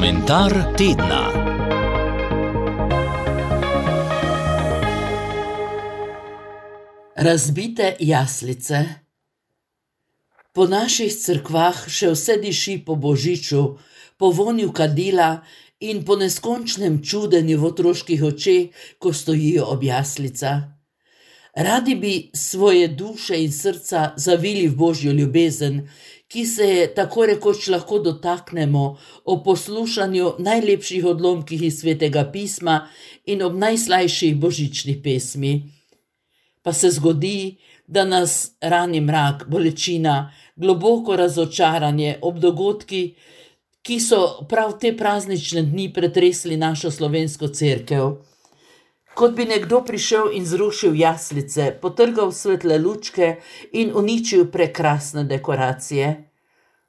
Komentar tedna. Razbite jaslice. Po naših cerkvah še vse diši po božiču, po vonju kadila in po neskončnem čudenju v otroških očeh, ko stojijo ob jaslicah. Radi bi svoje duše in srca zavili v Božjo ljubezen, ki se je tako rekoč lahko dotaknemo ob poslušanju najlepših odlomkih iz Svetega pisma in ob najslajših božičnih pesmi. Pa se zgodi, da nas rani mrak, bolečina, globoko razočaranje ob dogodki, ki so prav te praznične dni pretresli našo slovensko cerkev. Kot bi nekdo prišel in zrušil jaslice, potrgal svetle lučke in uničil prekrasne dekoracije.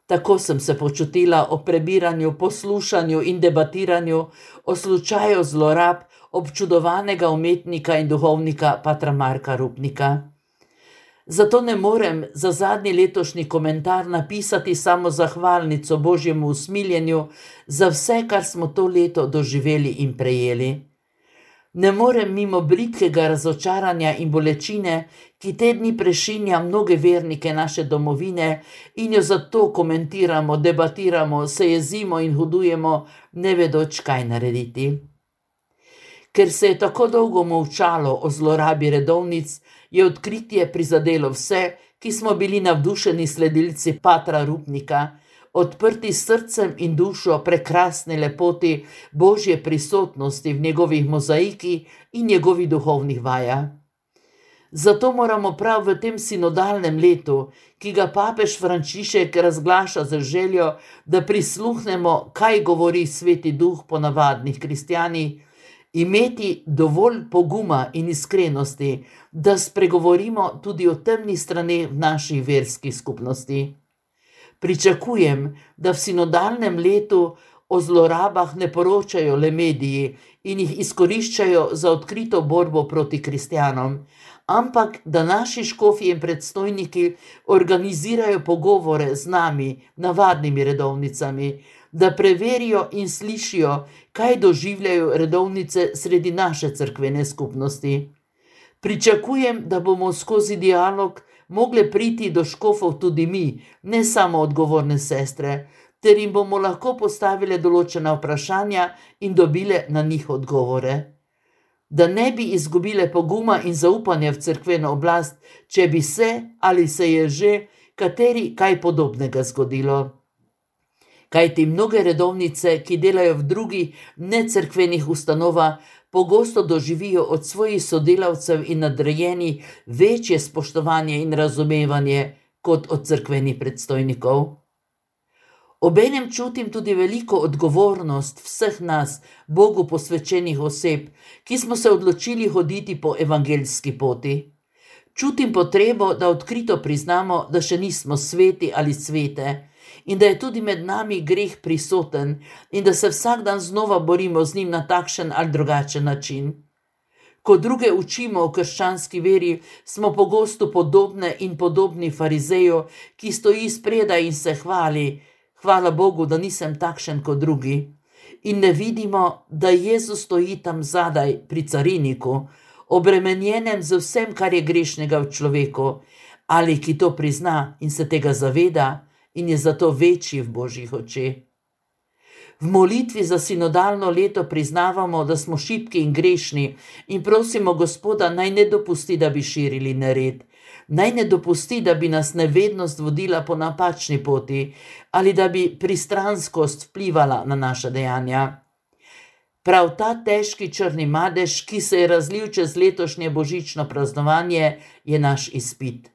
Tako sem se počutila ob prebiranju, poslušanju in debatiranju o slučaju zlorab občudovanega umetnika in duhovnika patra Marka Rupnika. Zato ne morem za zadnji letošnji komentar napisati samo zahvalnico Božjemu usmiljenju za vse, kar smo to leto doživeli in prejeli. Ne morem mimo bridkega razočaranja in bolečine, ki te dni prešinja mnoge vernike naše domovine in jo zato komentiramo, debatiramo, se jezimo in hudujemo, ne vedoč, kaj narediti. Ker se je tako dolgo molčalo o zlorabi redovnic, je odkritje prizadelo vse, ki smo bili navdušeni sledilci patra Rupnika, odprti s srcem in dušo prekrasne lepoti Božje prisotnosti v njegovih mozaiki in njegovih duhovnih vajah. Zato moramo prav v tem sinodalnem letu, ki ga papež Frančišek razglaša z željo, da prisluhnemo, kaj govori Sveti Duh po navadnih kristjanih, imeti dovolj poguma in iskrenosti, da spregovorimo tudi o temnih straneh v naših verskih skupnosti. Pričakujem, da v sinodalnem letu o zlorabah ne poročajo le mediji in jih izkoriščajo za odkrito borbo proti kristjanom, ampak da naši škofji in predstojniki organizirajo pogovore z nami, navadnimi redovnicami, da preverijo in slišijo, kaj doživljajo redovnice sredi naše cerkvene skupnosti. Pričakujem, da bomo skozi dialog mogle priti do škofov tudi mi, ne samo odgovorne sestre, ter jim bomo lahko postavile določena vprašanja in dobile na njih odgovore. Da ne bi izgubile poguma in zaupanja v cerkveno oblast, če bi se ali se je že kateri kaj podobnega zgodilo. Kajti mnoge redovnice, ki delajo v drugih necerkvenih ustanovah, pogosto doživijo od svojih sodelavcev in nadrejenih večje spoštovanje in razumevanje kot od cerkvenih predstojnikov. Obenem čutim tudi veliko odgovornost vseh nas, Bogu posvečenih oseb, ki smo se odločili hoditi po evangeljski poti. Čutim potrebo, da odkrito priznamo, da še nismo sveti ali svete, in da je tudi med nami greh prisoten in da se vsak dan znova borimo z njim na takšen ali drugačen način. Ko druge učimo o krščanski veri, smo pogosto podobne in podobni farizeju, ki stoji spredaj in se hvali, hvala Bogu, da nisem takšen kot drugi. In ne vidimo, da Jezus stoji tam zadaj pri cariniku, obremenjenem z vsem, kar je grešnega v človeku, ali ki to prizna in se tega zaveda in je zato večji v Božjih očeh. V molitvi za sinodalno leto priznavamo, da smo šibki in grešni in prosimo Gospoda, naj ne dopusti, da bi širili nered, naj ne dopusti, da bi nas nevednost vodila po napačni poti ali da bi pristranskost vplivala na naša dejanja. Prav ta težki črni madež, ki se je razlil čez letošnje božično praznovanje, je naš izpit.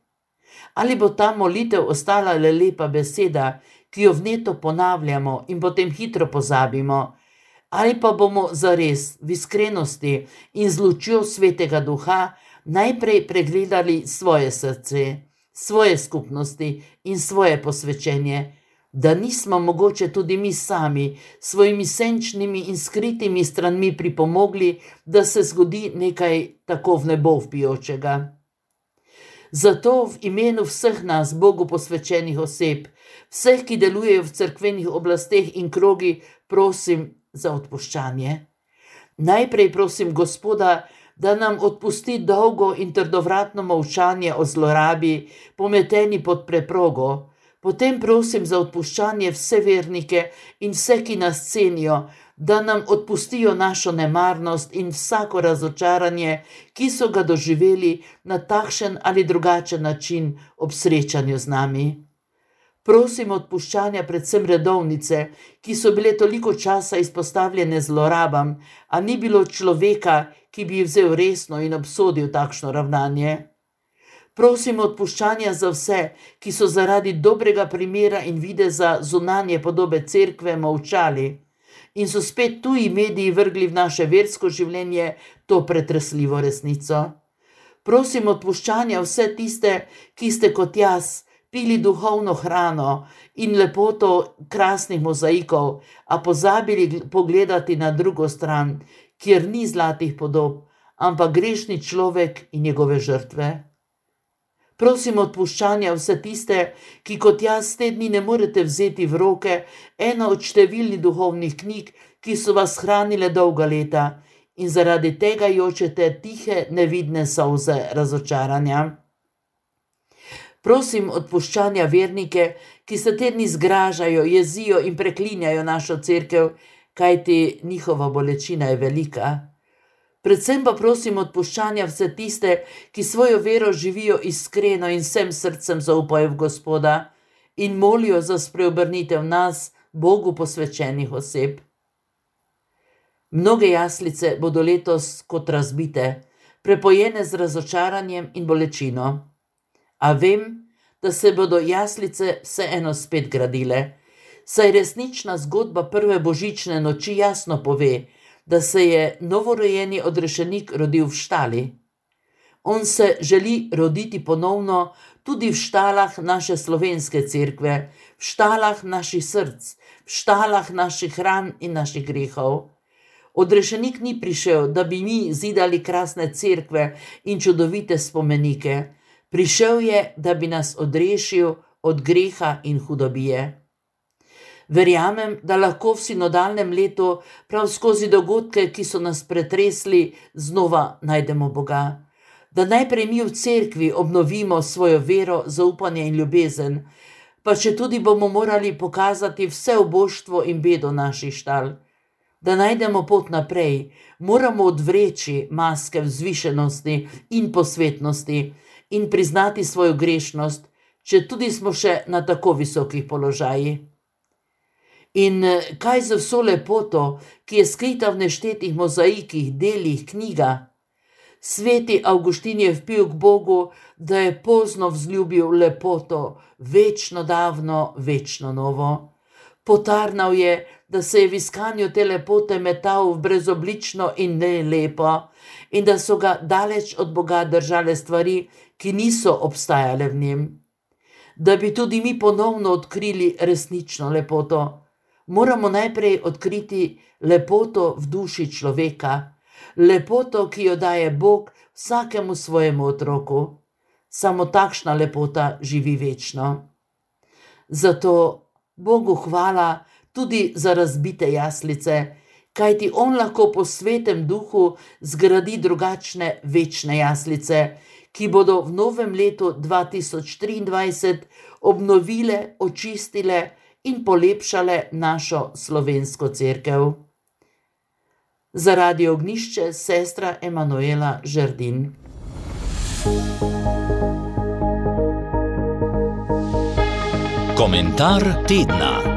Ali bo ta molitev ostala le lepa beseda, ki jo vneto ponavljamo in potem hitro pozabimo, ali pa bomo zares v iskrenosti in z lučjo Svetega Duha najprej pregledali svoje srce, svoje skupnosti in svoje posvečenje, da nismo mogoče tudi mi sami svojimi senčnimi in skritimi stranmi pripomogli, da se zgodi nekaj tako v nebo vpijočega. Zato v imenu vseh nas, Bogu posvečenih oseb, vseh, ki delujejo v cerkvenih oblasteh in krogih, prosim za odpuščanje. Najprej prosim Gospoda, da nam odpusti dolgo in trdovratno molčanje o zlorabi, pometeni pod preprogo. Potem prosim za odpuščanje vse vernike in vse, ki nas cenijo, da nam odpustijo našo nemarnost in vsako razočaranje, ki so ga doživeli na takšen ali drugačen način ob srečanju z nami. Prosim odpuščanja predvsem redovnice, ki so bile toliko časa izpostavljene zlorabam, a ni bilo človeka, ki bi jih vzel resno in obsodil takšno ravnanje. Prosim odpuščanja za vse, ki so zaradi dobrega primera in videza zunanje podobe cerkve molčali in so spet tuji mediji vrgli v naše versko življenje to pretresljivo resnico. Prosim odpuščanja vse tiste, ki ste kot jaz pili duhovno hrano in lepoto krasnih mozaikov, a pozabili pogledati na drugo stran, kjer ni zlatih podob, ampak grešni človek in njegove žrtve. Prosim odpuščanja vse tiste, ki kot jaz te dni ne morete vzeti v roke eno od številnih duhovnih knjig, ki so vas hranile dolga leta in zaradi tega jočete tihe, nevidne solze razočaranja. Prosim odpuščanja vernike, ki se te dni zgražajo, jezijo in preklinjajo našo cerkev, kajti njihova bolečina je velika. Predvsem pa prosim odpuščanja vse tiste, ki svojo vero živijo iskreno in vsem srcem zaupajo v Gospoda in molijo za spreobrnitev nas, Bogu posvečenih oseb. Mnoge jaslice bodo letos kot razbite, prepojene z razočaranjem in bolečino. A vem, da se bodo jaslice vseeno spet gradile, saj resnična zgodba prve božične noči jasno pove, da se je novorojeni odrešenik rodil v štali. On se želi roditi ponovno tudi v štalah naše slovenske cerkve, v štalah naših src, v štalah naših ran in naših grehov. Odrešenik ni prišel, da bi mi zidali krasne cerkve in čudovite spomenike. Prišel je, da bi nas odrešil od greha in hudobije. Verjamem, da lahko v sinodalnem letu prav skozi dogodke, ki so nas pretresli, znova najdemo Boga. Da najprej mi v cerkvi obnovimo svojo vero, zaupanje in ljubezen, pa če tudi bomo morali pokazati vse oboštvo in bedo naših štal. Da najdemo pot naprej, moramo odvreči maske vzvišenosti in posvetnosti in priznati svojo grešnost, če tudi smo še na tako visokih položajih. In kaj z vso lepoto, ki je skrita v neštetih mozaikih, delih, knjigah? Sveti Avguštin je vpil k Bogu, da je pozno vzljubil lepoto, večno davno, večno novo. Potarnal je, da se je v iskanju te lepote metal v brezoblično in nelepo in da so ga daleč od Boga držale stvari, ki niso obstajale v njem. Da bi tudi mi ponovno odkrili resnično lepoto, moramo najprej odkriti lepoto v duši človeka, lepoto, ki jo daje Bog vsakemu svojemu otroku. Samo takšna lepota živi večno. Zato Bogu hvala tudi za razbite jaslice, kajti on lahko po svetem duhu zgradi drugačne večne jaslice, ki bodo v novem letu 2023 obnovile, očistile in polepšale našo slovensko cerkev. Za Radio Ognjišče sestra Emanuela Žerdin. Komentar tedna.